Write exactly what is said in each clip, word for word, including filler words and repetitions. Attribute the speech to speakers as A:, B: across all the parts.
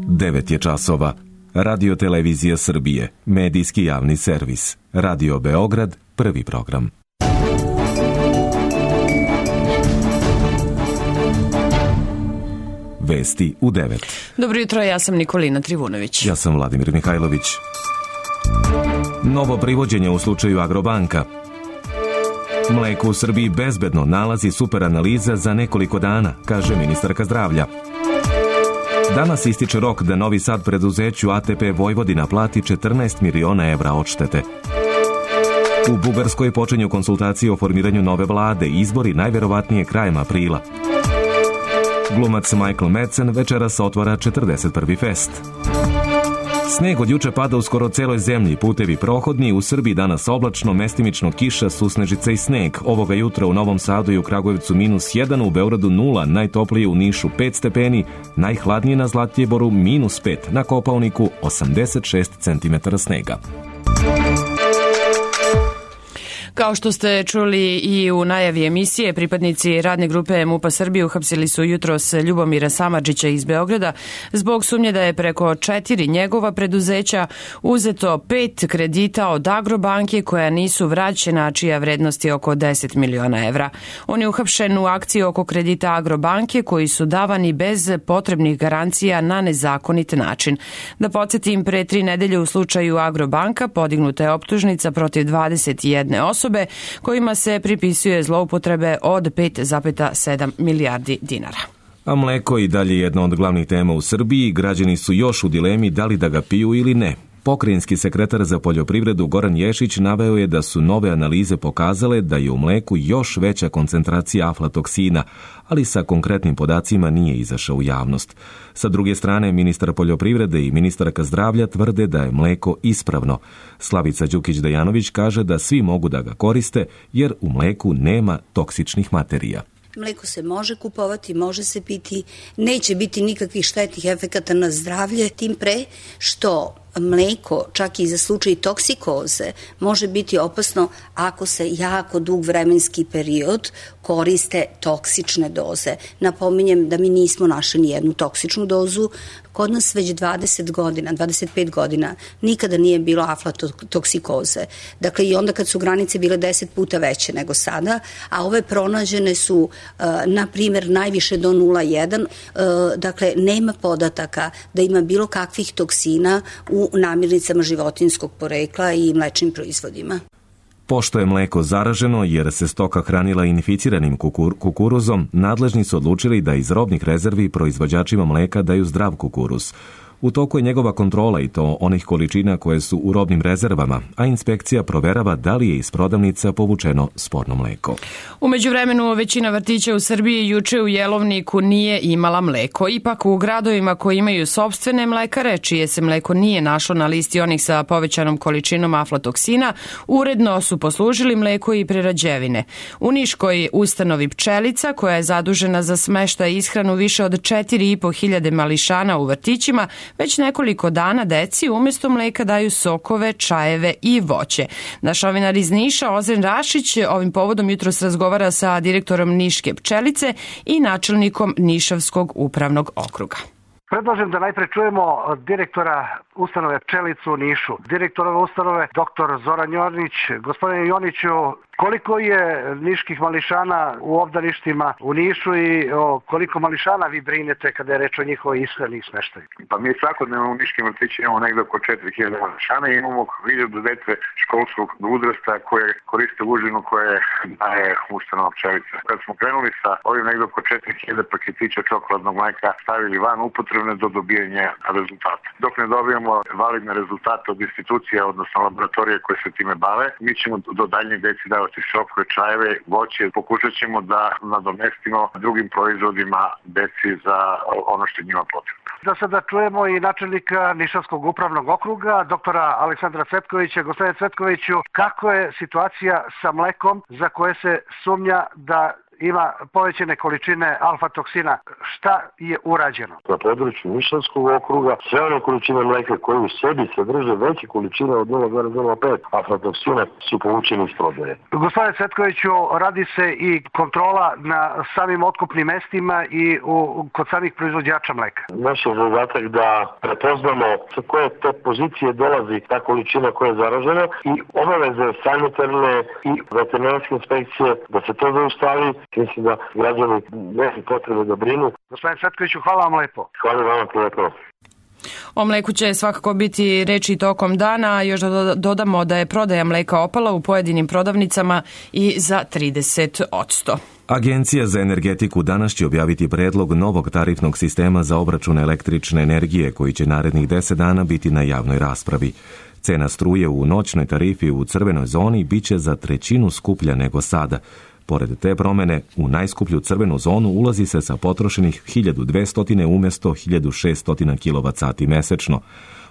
A: devet je časova. Radio Televizija Srbije, medijski javni servis. Radio Beograd, prvi program. Vesti u devet.
B: Dobro jutro, ja sam Nikolina Trivunović.
A: Ja sam Vladimir Mihajlović. Novo privođenje u slučaju Agrobanka. Mleko u Srbiji bezbedno, nalazi super analiza za nekoliko dana, kaže ministarka zdravlja. Danas ističe rok da Novi Sad preduzeću A T P Vojvodina plati četrnaest miliona evra odštete. U Bugarskoj počinju konsultacije o formiranju nove vlade, izbori najverovatnije krajem aprila. Glumac Michael Madsen večeras otvara četrdeset prvi fest. Sneg od juče pada u skoro celoj zemlji, putevi prohodni, u Srbiji danas oblačno, mestimično kiša, susnežica i sneg. Ovoga jutra u Novom Sadu i u Kragujevcu minus jedan, u Beogradu nula, najtoplije u Nišu pet stepeni, najhladnije na Zlatiboru minus pet, na Kopaoniku osamdeset šest centimetara snega.
B: Kao što ste čuli i u najavi emisije, pripadnici radne grupe MUP-a Srbije uhapsili su jutros Ljubomira Samardžića iz Beograda zbog sumnje da je preko četiri njegova preduzeća uzeto pet kredita od Agrobanke koja nisu vraćena, čija vrednost je oko deset miliona evra. On je uhapšen u akciji oko kredita Agrobanke koji su davani bez potrebnih garancija na nezakonit način. Da podsjetim, pre tri nedelje u slučaju Agrobanka podignuta je optužnica protiv dvadeset jedne osobe kojima se pripisuje zloupotrebe od pet zarez sedam milijardi dinara.
A: A mleko i dalje jedna od glavnih tema u Srbiji. Građani su još u dilemi da li da ga piju ili ne. Pokrajinski sekretar za poljoprivredu Goran Ješić naveo je da su nove analize pokazale da je u mleku još veća koncentracija aflatoksina, ali sa konkretnim podacima nije izašao u javnost. Sa druge strane, ministar poljoprivrede i ministarka zdravlja tvrde da je mleko ispravno. Slavica Đukić-Dejanović kaže da svi mogu da ga koriste jer u mleku nema toksičnih materija.
C: Mleko se može kupovati, može se piti, neće biti nikakvih štetnih efekata na zdravlje, tim pre što mleko, čak i za slučaj toksikoze, može biti opasno ako se jako dug vremenski period koriste toksične doze. Napominjem da mi nismo našli ni jednu toksičnu dozu. Kod nas već dvadeset godina, dvadeset pet godina nikada nije bilo aflatoksikoze. Dakle, i onda kad su granice bile deset puta veće nego sada, a ove pronađene su, na primjer, najviše do nula zarez jedan. Dakle, nema podataka da ima bilo kakvih toksina u namirnicama životinjskog porekla i mlečnim proizvodima.
A: Pošto je mleko zaraženo jer se stoka hranila inficiranim kukur, kukuruzom, nadležni su odlučili da iz robnih rezervi proizvođačima mleka daju zdrav kukuruz. U toku je njegova kontrola i to onih količina koje su u robnim rezervama, a inspekcija proverava da li je iz prodavnica povučeno sporno mleko.
B: U međuvremenu većina vrtića u Srbiji juče u jelovniku nije imala mleko. Ipak u gradovima koji imaju sopstvene mlekare, čije se mleko nije našlo na listi onih sa povećanom količinom aflatoksina, uredno su poslužili mleko i prerađevine. U niškoj ustanovi Pčelica, koja je zadužena za smeštaj i ishranu više od četiri i po hiljade mališana u vrtićima, već nekoliko dana deci umjesto mleka daju sokove, čajeve i voće. Naš novinar iz Niša, Ozren Rašić, ovim povodom jutros razgovara sa direktorom Niške Pčelice i načelnikom Nišavskog upravnog okruga.
D: Predlažem da najpre čujemo direktora ustanove Pčelicu u Nišu. Direktor ove ustanove, doktor Zoran Jonić. Gospodine Joniću, koliko je niških mališana u obdaništima u Nišu i o koliko mališana vi brinete kada je reč o njihovoj ishrani i smeštaju?
E: Pa mi svakodnevno u niškim vrtićima imamo negdje oko četiri hiljade mališana i imamo hiljadu dece školskog uzrasta koje koriste užinu koje daje ustanova Pčelica. Kad smo krenuli sa ovim negdje oko četiri hiljade paketića čokoladnog mleka stavili van upotrebne do dobijanja rezultata. Dok ne dobijemo validne rezultate od institucija, odnosno laboratorije koje se time bave, mi ćemo do daljnjeg deci davati sokove, čajeve, voće. Pokušat ćemo da nadomestimo drugim proizvodima deci za ono što je njima potrebno.
D: Da sada čujemo i načelnika Nišavskog upravnog okruga, doktora Aleksandra Cvetkovića. Gospodine Cvetkoviću, kako je situacija sa mlekom za koje se sumnja da ima povećane količine alfa-toksina. Šta je urađeno?
F: Na području Nišavskog okruga sve one količine mleka koje u sebi sadrže veće količine od nula zarez nula pet aflatoksina su povučeni iz prodaje.
D: Gospodine Cvetkoviću, radi se i kontrola na samim otkupnim mestima i u, kod samih proizvođača mleka.
F: Naš je zadatak da prepoznamo sa koje te pozicije dolazi ta količina koja je zaražena i obaveze sanitarne i veterinarske inspekcije da se to zaustavi. Mislim da građani nema potrebe da brinu.
D: Gospodine Cvetkoviću, hvala vam lepo.
F: Hvala vam lepo.
B: O mleku će svakako biti reči tokom dana, još da dodamo da je prodaja mleka opala u pojedinim prodavnicama i za trideset posto.
A: Agencija za energetiku danas će objaviti predlog novog tarifnog sistema za obračun električne energije koji će narednih deset dana biti na javnoj raspravi. Cena struje u noćnoj tarifi u crvenoj zoni biće za trećinu skuplja nego sada. Pored te promene, u najskuplju crvenu zonu ulazi se sa potrošenih hiljadu dvesta umjesto hiljadu šeststo kilovat sati mesečno.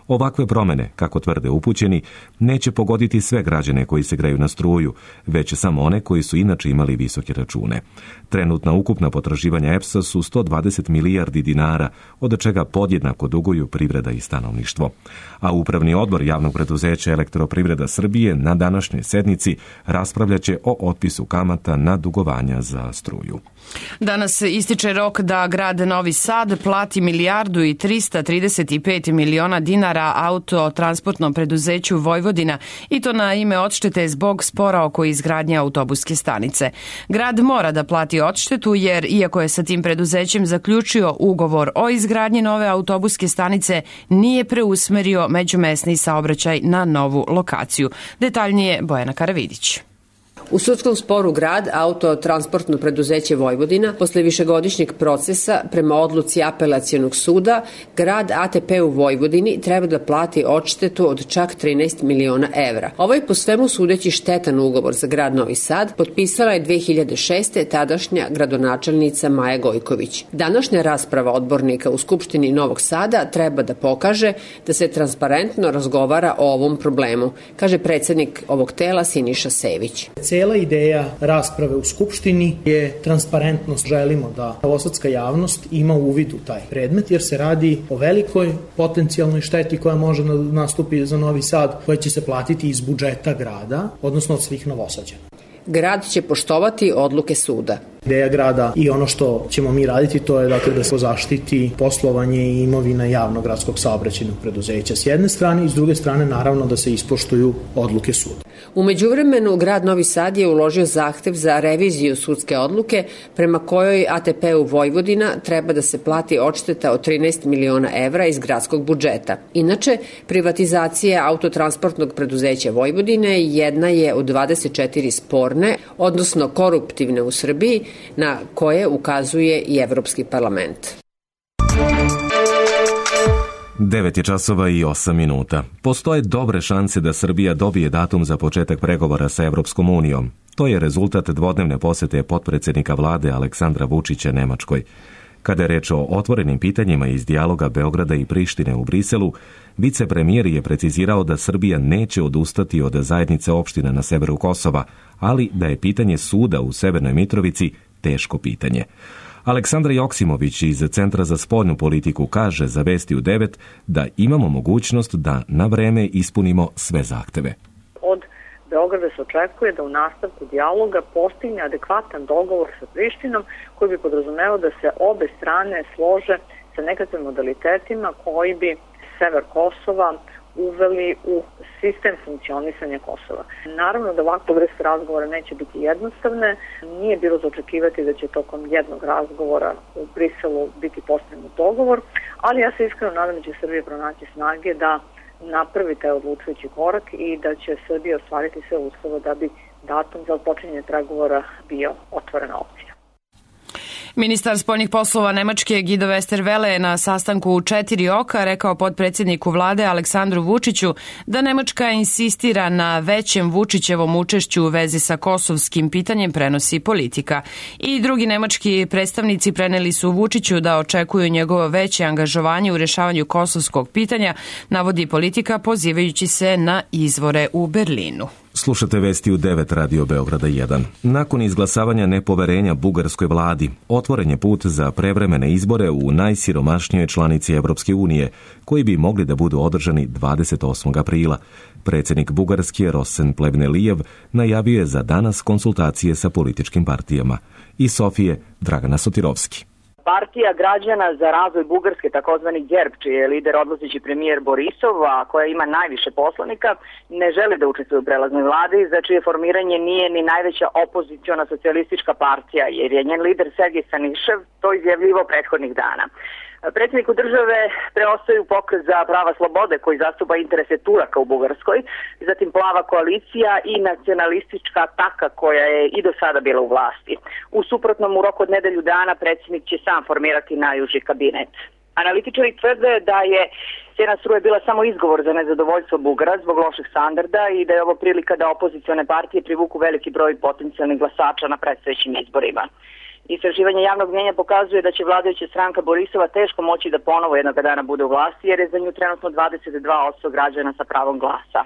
A: Ovakve promene, kako tvrde upućeni, neće pogoditi sve građane koji se greju na struju, već samo one koji su inače imali visoke račune. Trenutna ukupna potraživanja E P S-a su sto dvadeset milijardi dinara, od čega podjednako duguju privreda i stanovništvo. A Upravni odbor javnog preduzeća Elektroprivreda Srbije na današnjoj sednici raspravljaće o otpisu kamata na dugovanja za struju.
B: Danas ističe rok da grad Novi Sad plati milijardu i trista trideset pet miliona dinara autotransportnom preduzeću Vojvodina i to na ime odštete zbog spora oko izgradnje autobuske stanice. Grad mora da plati odštetu jer, iako je sa tim preduzećem zaključio ugovor o izgradnji nove autobuske stanice, nije preusmerio međumesni saobraćaj na novu lokaciju. Detaljnije Bojana Karavidić.
G: U sudskom sporu grad, autotransportno preduzeće Vojvodina, posle višegodišnjeg procesa prema odluci apelacionog suda, grad A T P u Vojvodini treba da plati odštetu od čak trinaest miliona evra. Ovaj po svemu sudeći štetan ugovor za grad Novi Sad potpisala je dve hiljade šeste. tadašnja gradonačelnica Maja Gojković. Današnja rasprava odbornika u Skupštini Novog Sada treba da pokaže da se transparentno razgovara o ovom problemu, kaže predsednik ovog tela Siniša Sević.
H: Cela ideja rasprave u Skupštini je transparentnost. Želimo da novosadska javnost ima uvid u taj predmet, jer se radi o velikoj potencijalnoj šteti koja može nastupiti za Novi Sad, koja će se platiti iz budžeta grada, odnosno od svih Novosađana.
G: Grad će poštovati odluke suda.
H: Ideja grada i ono što ćemo mi raditi, to je dakle da se zaštiti poslovanje i imovina javnog gradskog saobraćajnog preduzeća s jedne strane i s druge strane naravno da se ispoštuju odluke suda.
G: U međuvremenu grad Novi Sad je uložio zahtev za reviziju sudske odluke prema kojoj A T P u Vojvodina treba da se plati odšteta od trinaest miliona evra iz gradskog budžeta. Inače, privatizacija autotransportnog preduzeća Vojvodine jedna je od dvadeset četiri sporne, odnosno koruptivne u Srbiji, na koje ukazuje i Evropski parlament.
A: devet je časova i osam minuta. Postoje dobre šanse da Srbija dobije datum za početak pregovora sa Evropskom unijom. To je rezultat dvodnevne posete potpredsednika vlade Aleksandra Vučića Nemačkoj. Kada je reč o otvorenim pitanjima iz dijaloga Beograda i Prištine u Briselu, vicepremijer je precizirao da Srbija neće odustati od zajednice opština na severu Kosova, ali da je pitanje suda u Severnoj Mitrovici teško pitanje. Aleksandra Joksimović iz Centra za spoljnu politiku kaže za Vesti u devet da imamo mogućnost da na vreme ispunimo sve zahteve.
I: Od Beograda se očekuje da u nastavku dijaloga postigne adekvatan dogovor sa Prištinom koji bi podrazumevao da se obe strane slože sa nekakvim modalitetima koji bi sever Kosova uveli u sistem funkcionisanja Kosova. Naravno da ovakva vrsta razgovora neće biti jednostavne, nije bilo za očekivati da će tokom jednog razgovora u Briselu biti postignut dogovor, ali ja se iskreno nadam da će Srbija pronaći snage da napravi taj odlučujući korak i da će Srbija ostvariti sve uslove da bi datum za počinjenje pregovora bio otvorena opcija.
B: Ministar spoljnih poslova Nemačke Guido Westerwelle je na sastanku u Četiri oka rekao potpredsjedniku vlade Aleksandru Vučiću da Nemačka insistira na većem Vučićevom učešću u vezi sa kosovskim pitanjem, prenosi Politika. I drugi nemački predstavnici preneli su Vučiću da očekuju njegovo veće angažovanje u rešavanju kosovskog pitanja, navodi Politika pozivajući se na izvore u Berlinu.
A: Slušate vesti u devet Radio Beograda jedan. Nakon izglasavanja nepoverenja bugarskoj vladi, otvoren je put za prevremene izbore u najsiromašnijoj članici Evropske unije, koji bi mogli da budu održani dvadeset osmog aprila. Predsjednik Bugarske Rosen Plevnelijev najavio je za danas konsultacije sa političkim partijama. Iz Sofije, Dragana Sotirovski.
J: Partija građana za razvoj Bugarske, takozvani GERB, čiji je lider odlazeći premijer Borisov, a koja ima najviše poslanika, ne želi da učestvuje u prelaznoj vladi, za čije formiranje nije ni najveća opoziciona socijalistička partija, jer je njen lider Sergej Stanišev to izjavljivao prethodnih dana. Predsjedniku države preostaju Pokret za prava slobode koji zastupa interese Turaka u Bugarskoj, zatim Plava koalicija i nacionalistička ataka koja je i do sada bila u vlasti. U suprotnom, u roku od nedelju dana predsjednik će sam formirati najuži kabinet. Analitičari tvrde da je cena struje bila samo izgovor za nezadovoljstvo Bugara zbog loših standarda i da je ovo prilika da opozicione partije privuku veliki broj potencijalnih glasača na predstojećim izborima. Istraživanje javnog mnjenja pokazuje da će vladajuća stranka Borisova teško moći da ponovo jednog dana bude u vlasti, jer je za nju trenutno dvadeset dva posto građana sa pravom glasa.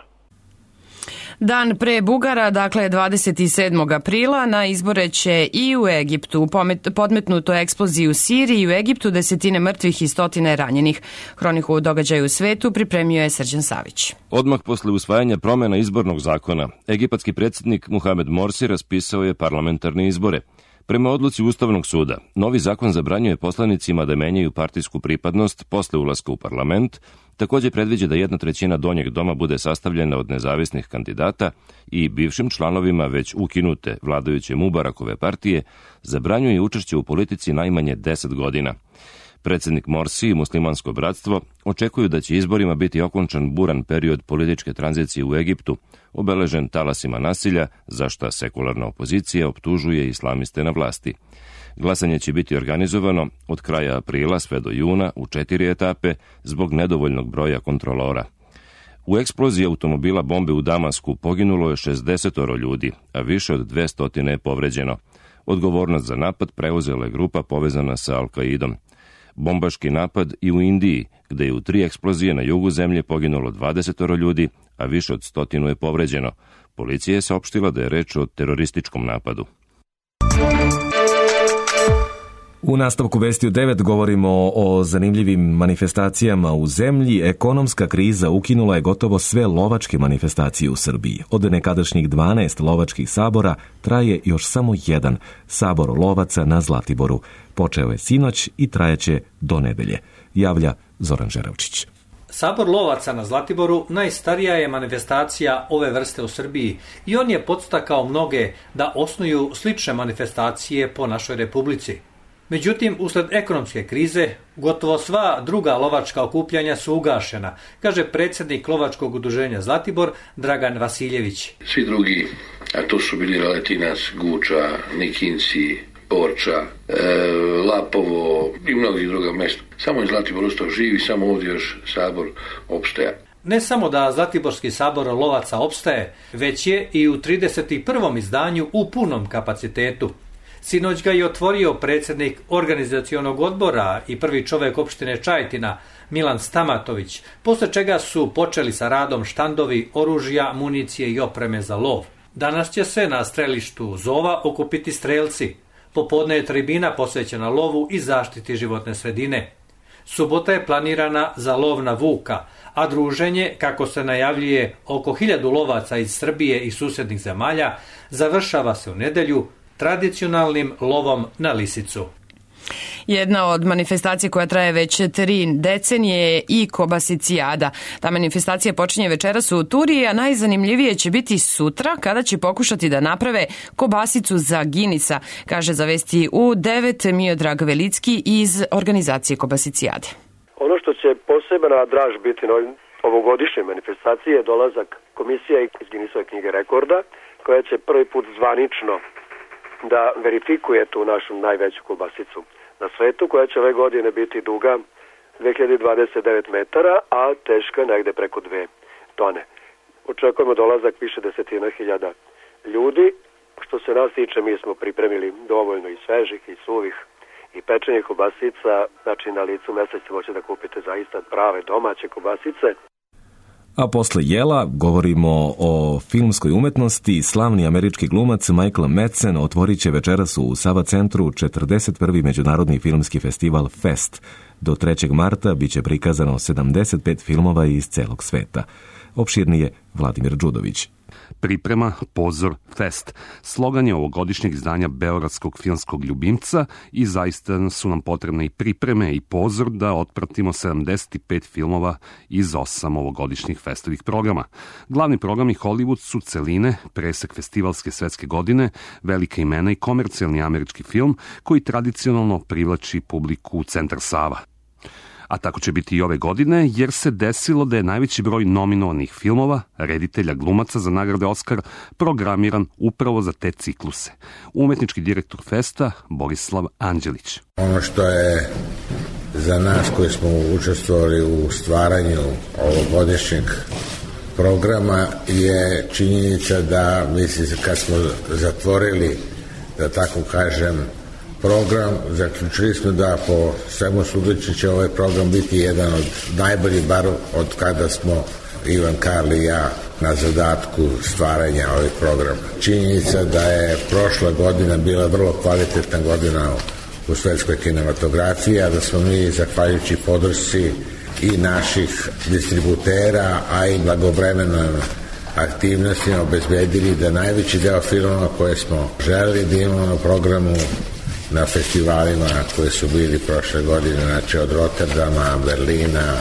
B: Dan pre Bugara, dakle dvadeset sedmog aprila, na izbore će i u Egiptu. Podmetnuto eksploziji u Siriji i u Egiptu, desetine mrtvih i stotine ranjenih. Hroniku događaja u svetu pripremio je Srđan Savić.
K: Odmah posle usvajanja promjena izbornog zakona, egipatski predsjednik Muhamed Morsi raspisao je parlamentarne izbore. Prema odluci Ustavnog suda, novi zakon zabranjuje poslanicima da menjaju partijsku pripadnost posle ulaska u parlament, također predviđa da jedna trećina donjeg doma bude sastavljena od nezavisnih kandidata i bivšim članovima već ukinute vladajuće Mubarakove partije zabranjuje učešće u politici najmanje deset godina. Predsjednik Morsi i Muslimansko bratstvo očekuju da će izborima biti okončan buran period političke tranzicije u Egiptu, obeležen talasima nasilja, za šta sekularna opozicija optužuje islamiste na vlasti. Glasanje će biti organizovano od kraja aprila sve do juna u četiri etape zbog nedovoljnog broja kontrolora. U eksploziji automobila bombe u Damasku poginulo je šezdeset ljudi, a više od dvesta je povređeno. Odgovornost za napad preuzela je grupa povezana sa Al-Kaidom. Bombaški napad i u Indiji, gde je u tri eksplozije na jugu zemlje poginulo dvadeset ljudi, a više od stotinu je povređeno. Policija je saopštila da je reč o terorističkom napadu.
A: U nastavku vesti u devet govorimo o zanimljivim manifestacijama u zemlji. Ekonomska kriza ukinula je gotovo sve lovačke manifestacije u Srbiji. Od nekadašnjih dvanaest lovačkih sabora traje još samo jedan, Sabor lovaca na Zlatiboru. Počeo je sinoć i trajaće do nedelje, javlja Zoran Žeravčić.
L: Sabor lovaca na Zlatiboru najstarija je manifestacija ove vrste u Srbiji i on je podstakao mnoge da osnuju slične manifestacije po našoj republici. Međutim, usled ekonomske krize, gotovo sva druga lovačka okupljanja su ugašena, kaže predsjednik lovačkog udruženja Zlatibor Dragan Vasiljević.
M: Svi drugi, a to su bili Valetinas, Guča, Nikinci, Borča, e, Lapovo i mnogi druga mesta. Samo je Zlatibor ostao živi, samo ovdje još sabor opstaja.
L: Ne samo da Zlatiborski sabor lovaca opstaje, već je i u trideset prvom izdanju u punom kapacitetu. Sinoć ga je otvorio predsjednik organizacionog odbora i prvi čovjek opštine Čajetina, Milan Stamatović, posle čega su počeli sa radom štandovi oružja, municije i opreme za lov. Danas će se na strelištu Zova okupiti strelci. Popodne je tribina posvećena lovu i zaštiti životne sredine. Subota je planirana za lov na vuka, a druženje, kako se najavljuje oko hiljadu lovaca iz Srbije i susjednih zemalja, završava se u nedelju tradicionalnim lovom na lisicu.
B: Jedna od manifestacija koja traje već tri decenije je i Kobasicijada. Ta manifestacija počinje večeras u Turiji, a najzanimljivije će biti sutra kada će pokušati da naprave kobasicu za Ginica, kaže za vesti u devet Miodrag Velicki iz organizacije Kobasicijade.
N: Ono što će posebna draž biti na ovogodišnjoj manifestaciji je dolazak komisije iz Guinnessove knjige rekorda, koja će prvi put zvanično da verifikuje tu našu najveću kobasicu na svetu, koja će ove godine biti duga dve hiljade dvadeset devet metara, a teška negde preko dve tone. Očekujemo dolazak više desetina hiljada ljudi. Što se nas tiče, mi smo pripremili dovoljno i svežih i suvih i pečenih kobasica, znači na licu mesta ćete moći da kupite zaista prave domaće kobasice.
A: A posle jela govorimo o filmskoj umetnosti. Slavni američki glumac Michael Madsen otvorit će večeras u Sava centru četrdeset prvi međunarodni filmski festival Fest. Do trećeg marta biće prikazano sedamdeset pet filmova iz celog sveta. Opširnije Vladimir Đudović.
O: Priprema, pozor, fest. Slogan je ovogodišnjeg izdanja Beogradskog filmskog ljubimca i zaista su nam potrebne i pripreme i pozor da otpratimo sedamdeset pet filmova iz osam ovogodišnjih festovih programa. Glavni programi Hollywood su celine, presek festivalske svetske godine, velika imena i komercijalni američki film koji tradicionalno privlači publiku u centar Sava. A tako će biti i ove godine, jer se desilo da je najveći broj nominovanih filmova, reditelja, glumaca za nagrade Oskar, programiran upravo za te cikluse. Umetnički direktor festa Borislav Anđelić.
P: Ono što je za nas koji smo učestvovali u stvaranju ovogodišnjeg programa je činjenica da, mislim, kad smo zatvorili, da tako kažem, program, zaključili smo da po svemu sudeći će ovaj program biti jedan od najboljih, bar od kada smo Ivan Karli i ja na zadatku stvaranja ovih programa. Činjenica da je prošla godina bila vrlo kvalitetna godina u svetskoj kinematografiji, a da smo mi, zahvaljujući podršci i naših distributera, a i blagovremenom aktivnostima obezbedili da najveći deo filmova koje smo želeli da imamo na programu na festivalima koji su bili prošle godine, znači od Rotterdama, Berlina,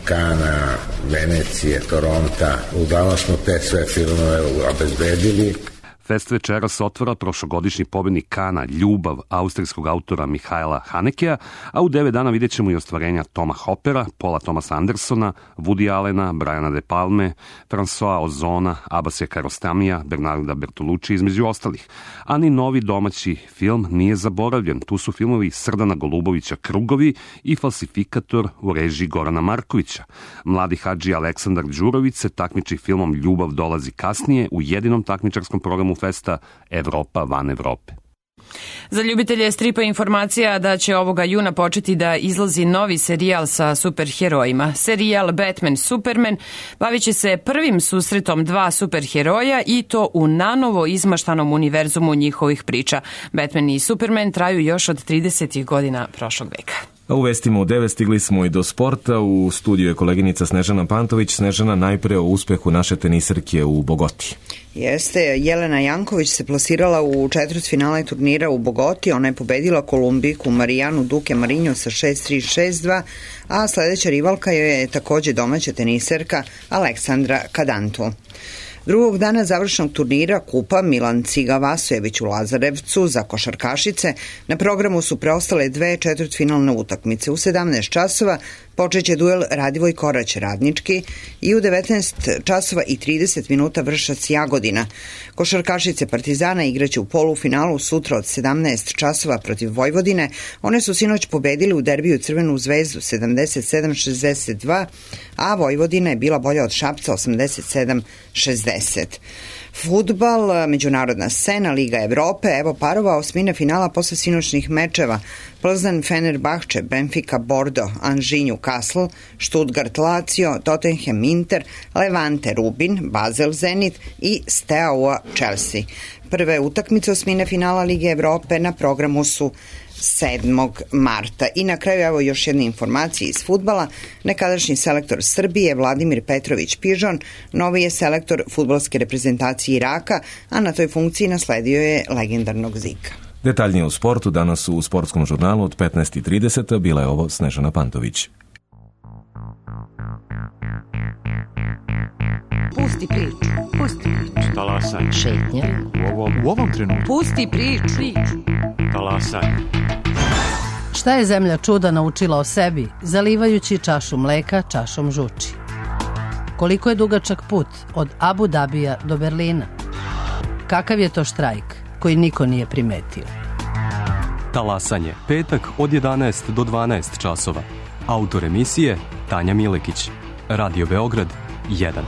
P: Kana, Venecije, Toronta. Uglavnom smo te sve filmove obezbedili.
O: Fest večeras otvara prošlogodišnji pobednik Kana Ljubav austrijskog autora Mihajla Hanekea, a u devet dana vidjet ćemo i ostvarenja Toma Hoppera, Paula Thomasa Andersona, Woody Allena, Briana De Palme, François Ozona, Abbasija Kiarostamija, Bernarda Bertolucci između ostalih. A ni novi domaći film nije zaboravljen. Tu su filmovi Srdana Golubovića Krugovi i Falsifikator u režiji Gorana Markovića. Mladi hadži Aleksandar Đurović se takmiči filmom Ljubav dolazi kasnije u jedinom takmičarskom programu festa Evropa van Evrope.
B: Za ljubitelje stripa informacija da će ovoga juna početi da izlazi novi serijal sa superherojima. Serijal Batman Superman bavit će se prvim susretom dva superheroja i to u nanovo izmaštanom univerzumu njihovih priča. Batman i Superman traju još od tridesetih godina prošlog veka.
A: A u vestima u devet stigli smo i do sporta. U studiju je koleginica Snežana Pantović. Snežana, najpre o uspehu naše tenisarke u Bogoti.
Q: Jeste, Jelena Janković se plasirala u četvrtfinale turnira u Bogoti. Ona je pobedila Kolumbiku Marijanu Duke Marinjo sa šest tri šest dva, a sledeća rivalka je takođe domaća tenisarka Aleksandra Kadantu. Drugog dana završnog turnira Kupa Milan Ciga Vasojević u Lazarevcu za košarkašice na programu su preostale dve četvrtfinalne utakmice. U sedamnaest časova počeće duel Radivoj Korać Radnički i u devetnaest časova i trideset minuta Vršac Jagodina. Košarkašice Partizana igraće u polufinalu sutra od sedamnaest časova protiv Vojvodine. One su sinoć pobedili u derbiju Crvenu zvezdu sedamdeset sedam šezdeset dva, a Vojvodina je bila bolja od Šapca osamdeset sedam šezdeset. Fudbal, međunarodna scena, Liga Evrope, evo parova osmine finala posle sinoćnih mečeva. Plzan Fenerbahče, Benfica Bordo, Anži Newcastle, Stuttgart Lazio, Tottenham Inter, Levante Rubin, Basel Zenit i Steaua Chelsea. Prve utakmice osmine finala Lige Evrope na programu su sedmog marta. I na kraju evo još jedne informacije iz fudbala. Nekadašnji selektor Srbije Vladimir Petrović Pižon novi je selektor fudbalske reprezentacije Iraka, a na toj funkciji nasledio je legendarnog Zika.
A: Detaljnije u sportu danas u sportskom žurnalu od petnaest i trideset. Bila je ovo Snežana Pantović.
R: Pusti priču, pusti priču.
S: Talasaj.
R: Šetnja.
S: U ovom, u ovom trenutku.
R: Pusti priču.
S: Talasaj.
R: Šta je zemlja čuda naučila o sebi, zalivajući čašu mleka čašom žuči? Koliko je dugačak put od Abu Dabija do Berlina? Kakav je to štrajk koji niko nije primetio?
S: Talasanje, petak od jedanaest do dvanaest časova. Autor emisije Tanja Milekić. Radio Beograd jedan.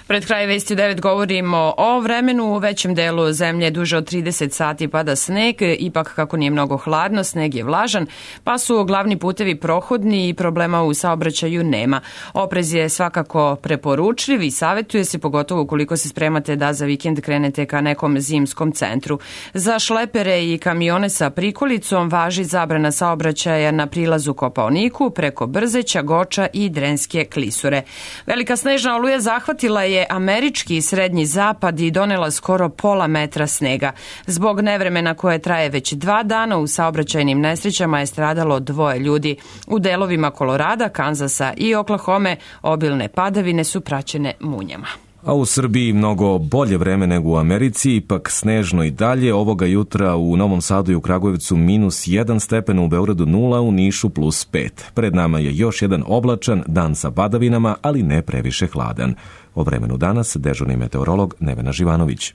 B: Pred kraj vesti u devet govorimo o vremenu. U većem delu zemlje duže od trideset sati pada sneg, ipak kako nije mnogo hladno, sneg je vlažan, pa su glavni putevi prohodni i problema u saobraćaju nema. Oprez je svakako preporučljiv i savjetuje se, pogotovo ukoliko se spremate da za vikend krenete ka nekom zimskom centru. Za šlepere i kamione sa prikolicom važi zabrana saobraćaja na prilazu Kopaoniku preko Brzeća, Goča i Drenske klisure. Velika snežna oluja zahvatila je američki i srednji zapad i donela skoro pola metra snega. Zbog nevremena koje traje već dva dana u saobraćajnim nesrećama je stradalo dvoje ljudi. U delovima Kolorada, Kanzasa i Oklahome obilne padavine su praćene munjama.
A: A u Srbiji mnogo bolje vreme nego u Americi, ipak snežno i dalje. Ovoga jutra u Novom Sadu i u Kragujevcu minus jedan stepen, u Beogradu nula, u Nišu plus pet. Pred nama je još jedan oblačan dan sa padavinama, ali ne previše hladan. O vremenu danas dežurni meteorolog Nevena Živanović.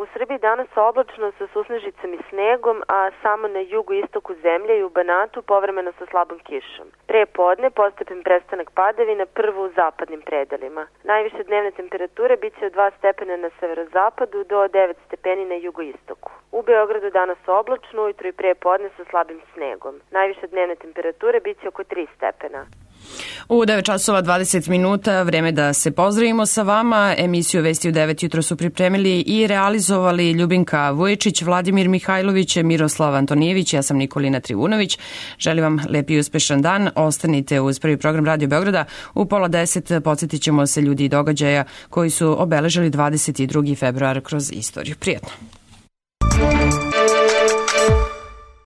T: U Srbiji danas oblačno sa susnežicom i snegom, a samo na jugu istoku zemlje i u Banatu povremeno sa slabom kišom. Pre podne postepen prestanak padavina, prvo u zapadnim predelima. Najviše dnevne temperature biće od dva stepena na severozapadu do devet stepeni na jugoistoku. U Beogradu danas oblačno, ujutro i pre podne sa slabim snegom. Najviše dnevne temperature biće oko tri stepena.
B: U devet časova dvadeset minuta, vreme da se pozdravimo sa vama. Emisiju Vesti u devet jutro su pripremili i realizovali Ljubinka Vujičić, Vladimir Mihajlović, Miroslav Antonijević, ja sam Nikolina Trivunović. Želim vam lep i uspešan dan. Ostanite uz prvi program Radio Beograda. U pola deset podsjetit ćemo se ljudi i događaja koji su obeležili dvadeset drugi februar kroz istoriju. Prijetno.